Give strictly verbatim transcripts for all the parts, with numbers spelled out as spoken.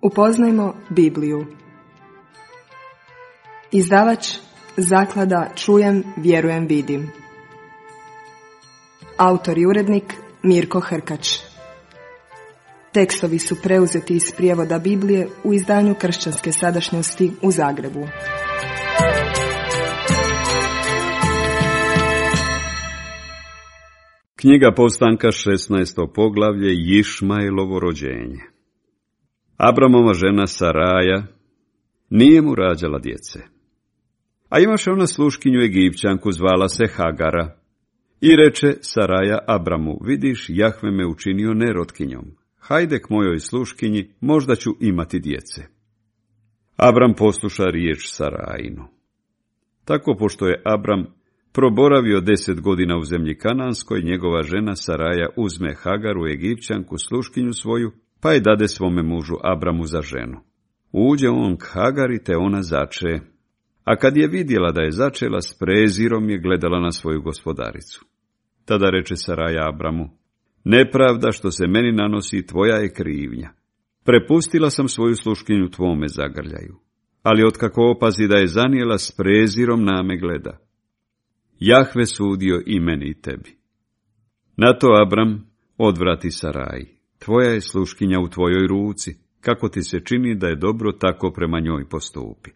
Upoznajmo Bibliju. Izdavač Zaklada Čujem, vjerujem, vidim. Autor i urednik Mirko Hrkač. Tekstovi su preuzeti iz prijevoda Biblije u izdanju Kršćanske sadašnjosti u Zagrebu. Knjiga Povstanka, šesnaesto poglavlje, Išmailovo rođenje. Abramova žena Saraja nije mu rađala djece. A imaše ona sluškinju Egipćanku, zvala se Hagara. I reče Saraja Abramu, vidiš, Jahve me učinio nerotkinjom. Hajde k mojoj sluškinji, možda ću imati djece. Abram posluša riječ Sarajinu. Tako, pošto je Abram proboravio deset godina u zemlji Kananskoj, njegova žena Saraja uzme Hagaru, Egipćanku, sluškinju svoju, pa je dade svome mužu Abramu za ženu. Uđe on k Hagari, te ona zače. A kad je vidjela da je začela, s prezirom je gledala na svoju gospodaricu. Tada reče Saraja Abramu, nepravda što se meni nanosi, tvoja je krivnja. Prepustila sam svoju sluškinju tvome zagrljaju, ali otkako opazi da je zanijela, s prezirom na me gleda. Jahve sudio i meni i tebi. Na to Abram odvrati Saraji, tvoja je sluškinja u tvojoj ruci, kako ti se čini da je dobro, tako prema njoj postupi.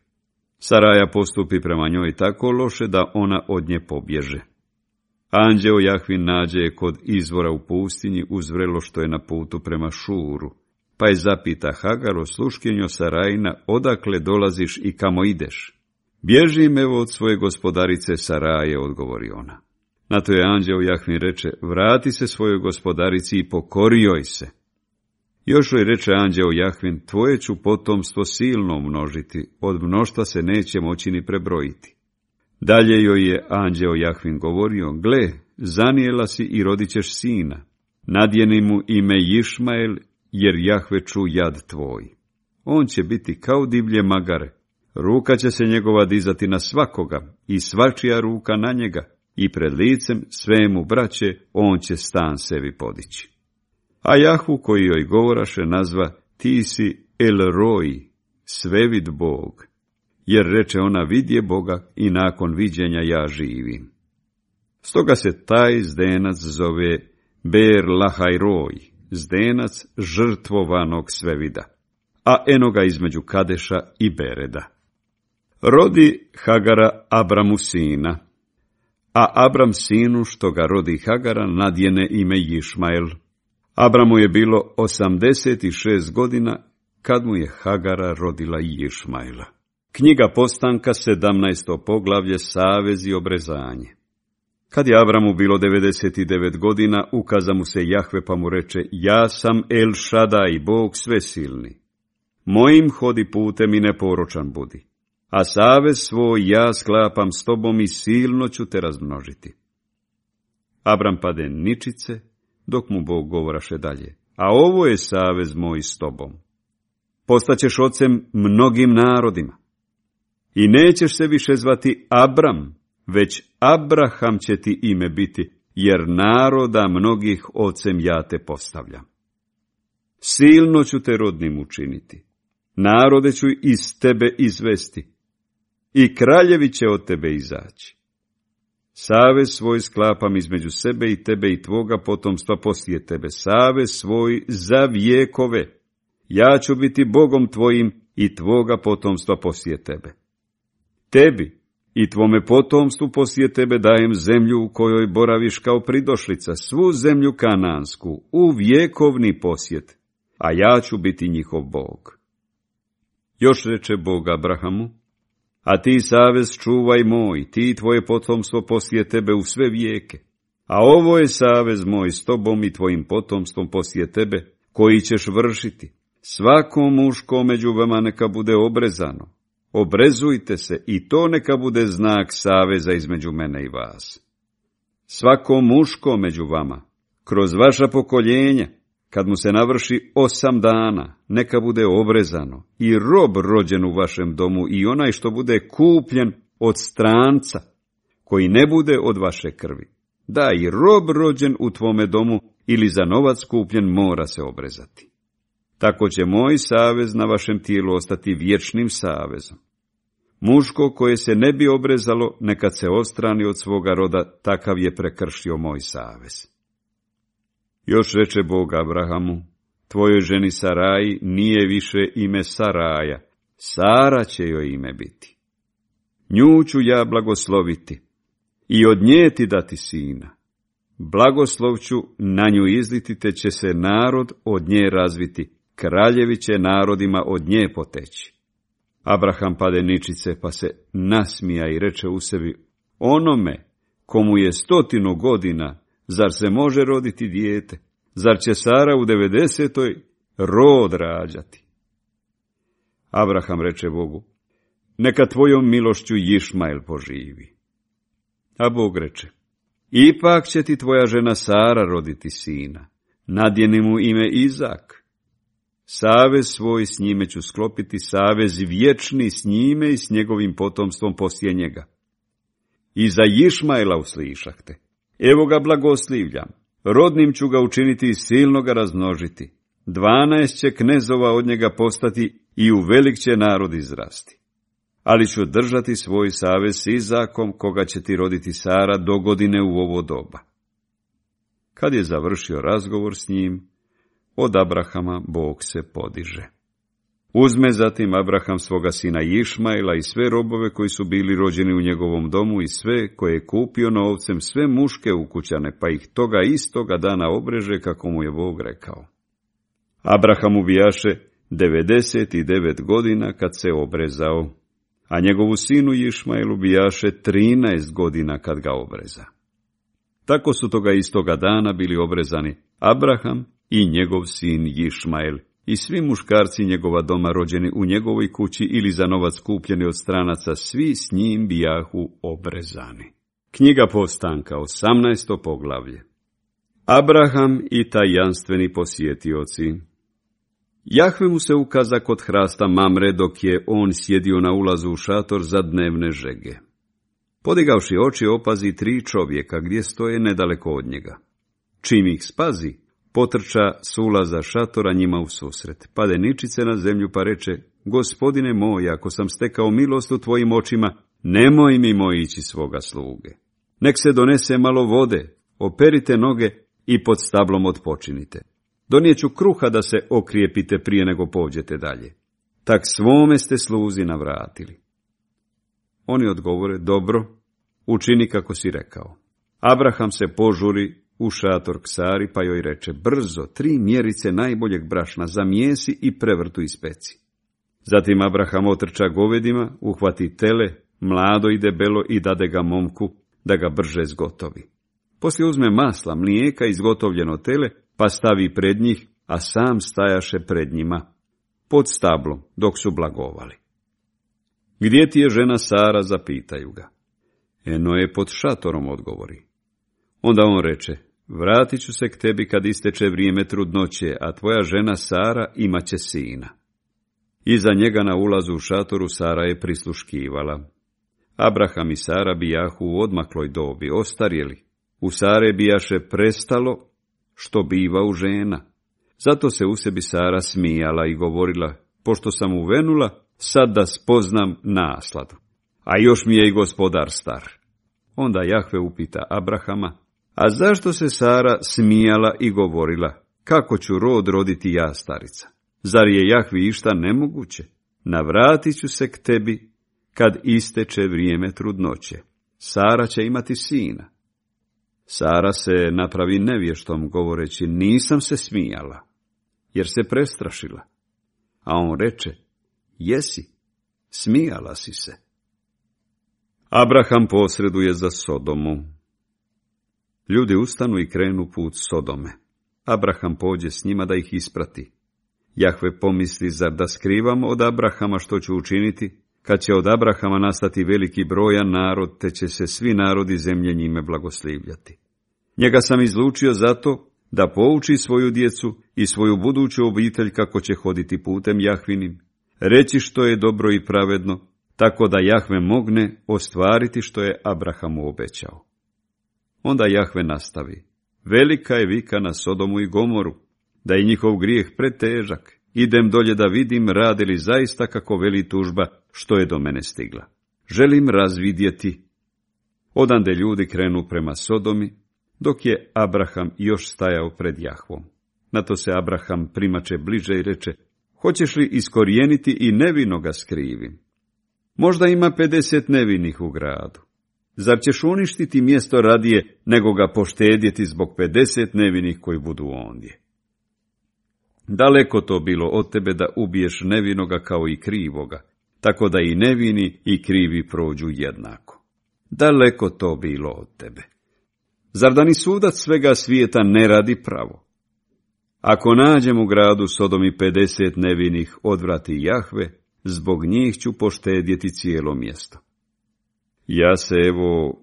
Saraja postupi prema njoj tako loše da ona od nje pobježe. Anđeo Jahvin nađe je kod izvora u pustinji uz vrelo što je na putu prema Šuru, pa je zapita Hagaro, sluškinjo Sarajina, odakle dolaziš i kamo ideš? Bježim evo od svoje gospodarice Saraje, odgovori ona. Na to je anđeo Jahvin reče, vrati se svojoj gospodarici i pokori joj se. Još joj reče anđeo Jahvin, tvoje ću potomstvo silno množiti, od mnoštva se neće moći ni prebrojiti. Dalje joj je anđeo Jahvin govorio, gle, zanijela si i rodit ćeš sina. Nadjeni mu ime Išmael, jer Jahve ču jad tvoj. On će biti kao divlje magare, ruka će se njegova dizati na svakoga i svačija ruka na njega i pred licem svemu braće on će stan sebi podići. A Jahvu koji joj govoraše nazva, ti si El Roi, svevid Bog, jer reče ona, vidje Boga i nakon viđenja ja živim. Stoga se taj zdenac zove Ber Lahaj Roj, zdenac žrtvovanog svevida, a eno ga između Kadeša i Bereda. Rodi Hagara Abramu sina, a Abram sinu što ga rodi Hagara nadjene ime Išmael. Abramu je bilo osamdeset šest godina kad mu je Hagara rodila Išmaela. Knjiga Povstanka, sedamnaesto poglavlje, Savez i obrezanje. Kad je Abramu bilo devedeset devet godina, ukaza mu se Jahve pa mu reče, ja sam El Šadaj, Bog svesilni. Mojim hodi putem i neporočan budi, a savez svoj ja sklapam s tobom i silno ću te razmnožiti. Abram pade ničice, dok mu Bog govoraše dalje, a ovo je savez moj s tobom. Postaćeš ocem mnogim narodima i nećeš se više zvati Abram, već Abraham će ti ime biti, jer naroda mnogih ocem ja te postavljam. Silno ću te rodnim učiniti, narode ću iz tebe izvesti i kraljevi će od tebe izaći. Savez svoj sklapam između sebe i tebe i tvoga potomstva poslije tebe, savez svoj za vjekove. Ja ću biti Bogom tvojim i tvoga potomstva poslije tebe. Tebi i tvome potomstvu poslije tebe dajem zemlju u kojoj boraviš kao pridošlica, svu zemlju kanansku, u vjekovni posjet, a ja ću biti njihov Bog. Još reče Bog Abrahamu, a ti savez čuvaj moj, ti i tvoje potomstvo poslije tebe u sve vijeke. A ovo je savez moj s tobom i tvojim potomstvom poslije tebe, koji ćeš vršiti. Svako muško među vama neka bude obrezano. Obrezujte se i to neka bude znak saveza između mene i vas. Svako muško među vama, kroz vaša pokoljenja, kad mu se navrši osam dana, neka bude obrezano, i rob rođen u vašem domu i onaj što bude kupljen od stranca, koji ne bude od vaše krvi. Da, i rob rođen u tvome domu ili za novac kupljen mora se obrezati. tako će moj savez na vašem tijelu ostati vječnim savezom. Muško koje se ne bi obrezalo, nekad se odstrani od svoga roda, takav je prekršio moj savez. Još reče Bog Abrahamu, tvojoj ženi Saraji nije više ime Saraja, Sara će joj ime biti. Nju ću ja blagosloviti i od nje ti dati sina. Blagoslov ću na nju izliti, te će se narod od nje razviti, kraljevi će narodima od nje poteći. Abraham pade ničice, pa se nasmija i reče u sebi, onome komu je stotinu godina, zar se može roditi dijete? Zar će Sara u devedesetoj rod rađati? Abraham reče Bogu, neka tvojom milošću Išmael poživi. A Bog reče, ipak će ti tvoja žena Sara roditi sina, nadjeni mu ime Izak. Savez svoj s njime ću sklopiti, savez vječni s njime i s njegovim potomstvom poslije njega. I za Išmaela uslišah te, evo ga blagoslivljam, rodnim ću ga učiniti i silno ga razmnožiti. Dvanaest će knezova od njega postati i u velik će narod izrasti. Ali ću držati svoj savez s Izakom, koga će ti roditi Sara do godine u ovo doba. Kad je završio razgovor s njim, od Abrahama Bog se podiže. Uzme zatim Abraham svoga sina Išmaela i sve robove koji su bili rođeni u njegovom domu i sve koje je kupio novcem, sve muške ukućane, pa ih toga istoga dana obreže kako mu je Bog rekao. Abraham ubijaše devedeset devet godina kad se obrezao, a njegovu sinu Išmaelu bijaše trinaest godina kad ga obreza. Tako su toga istoga dana bili obrezani Abraham i njegov sin Išmael i svi muškarci njegova doma rođeni u njegovoj kući ili za novac kupljeni od stranaca, svi s njim bijahu obrezani. Knjiga Povstanka, osamnaesto poglavlje. Abraham i tajanstveni posjetioci. Jahve mu se ukaza kod hrasta Mamre dok je on sjedio na ulazu u šator za dnevne žege. Podigavši oči opazi tri čovjeka gdje stoje nedaleko od njega. Čim ih spazi, potrča s ulaza šatora njima u susret. Pade ničice na zemlju pa reče, gospodine moj, ako sam stekao milost u tvojim očima, nemoj mi moj ići svoga sluge. Nek se donese malo vode, operite noge i pod stablom odpočinite. Donijeću kruha da se okrijepite prije nego pođete dalje. Tak svome ste sluzi navratili. Oni odgovore, dobro, učini kako si rekao. Abraham se požuri u šator k Sari, pa joj reče, brzo, tri mjerice najboljeg brašna zamijesi i prevrtu ispeci. Zatim Abraham otrča govedima, uhvati tele, mlado i debelo i dade ga momku, da ga brže zgotovi. Poslije uzme masla, mlijeka i izgotovljeno tele, pa stavi pred njih, a sam stajaše pred njima, pod stablom, dok su blagovali. Gdje ti je žena Sara, zapitaju ga. Eno je pod šatorom, odgovori. Onda on reče, vratit ću se k tebi kad isteče vrijeme trudnoće, a tvoja žena Sara imaće sina. Iza njega na ulazu u šatoru Sara je prisluškivala. Abraham i Sara bijahu u odmakloj dobi, ostarjeli. U Sare bijaše prestalo što biva u žena. Zato se u sebi Sara smijala i govorila, pošto sam uvenula, sad da spoznam nasladu. A još mi je i gospodar star. Onda Jahve upita Abrahama, a zašto se Sara smijala i govorila, kako ću rod roditi ja starica? Zar je Jahvi išta nemoguće? Navratit ću se k tebi kad isteče vrijeme trudnoće. Sara će imati sina. Sara se napravi nevještom govoreći, nisam se smijala, jer se prestrašila. A on reče, jesi, smijala si se. Abraham posreduje za Sodomu. Ljudi ustanu i krenu put Sodome. Abraham pođe s njima da ih isprati. Jahve pomisli, zar da skrivam od Abrahama što ću učiniti, kad će od Abrahama nastati veliki brojan narod, te će se svi narodi zemlje njime blagoslivljati. Njega sam izlučio zato da pouči svoju djecu i svoju buduću obitelj kako će hoditi putem Jahvinim, reći što je dobro i pravedno, tako da Jahve mogne ostvariti što je Abrahamu obećao. Onda Jahve nastavi, velika je vika na Sodomu i Gomoru, da je njihov grijeh pretežak idem dolje da vidim radi li zaista kako veli tužba što je do mene stigla. Želim razvidjeti. Odande ljudi krenu prema Sodomi, dok je Abraham još stajao pred Jahvom. Na to se Abraham primače bliže i reče, hoćeš li iskorijeniti i nevinoga s krivim? Možda ima pedeset nevinih u gradu. Zar ćeš uništiti mjesto radije, nego ga poštedjeti zbog pedeset nevinih koji budu ondje? Daleko to bilo od tebe da ubiješ nevinoga kao i krivoga, tako da i nevini i krivi prođu jednako. Daleko to bilo od tebe. Zar da ni sudac svega svijeta ne radi pravo? Ako nađem u gradu Sodomi pedeset nevinih, odvrati Jahve, zbog njih ću poštedjeti cijelo mjesto. Ja se evo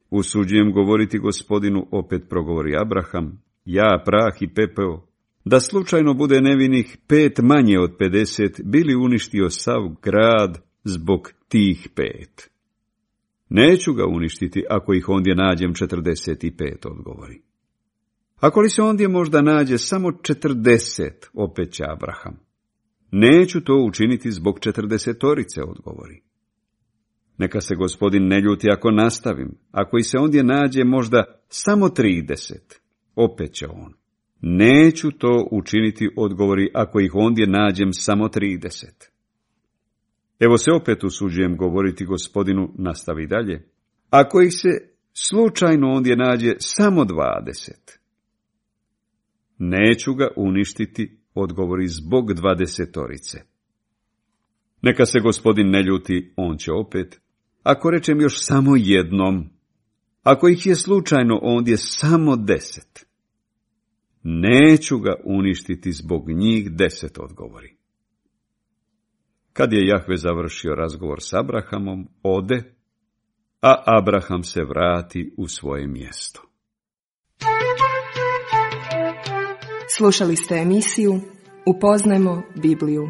usuđujem govoriti Gospodinu, opet progovori Abraham, ja prah i pepeo, da slučajno bude nevinih pet manje od pedeset, bili uništio sav grad zbog tih pet. Neću ga uništiti ako ih ondje nađem četrdeset i pet, odgovori. Ako li se ondje možda nađe samo četrdeset, opet će Abraham. Neću to učiniti zbog četrdesetorice, odgovori. Neka se Gospodin ne ljuti ako nastavim, ako i se ondje nađe možda samo trideset, opet će on. Neću to učiniti, odgovori, ako ih ondje nađem samo trideset. Evo se opet usuđujem govoriti Gospodinu, nastavi dalje. Ako ih se slučajno ondje nađe samo dvadeset, neću ga uništiti, odgovori, zbog dvadesetorice. Neka se Gospodin ne ljuti, on će opet. Ako rečem još samo jednom, ako ih je slučajno ondje samo deset, neću ga uništiti zbog njih deset, odgovori. Kad je Jahve završio razgovor s Abrahamom, ode, a Abraham se vrati u svoje mjesto. Slušali ste emisiju Upoznajmo Bibliju.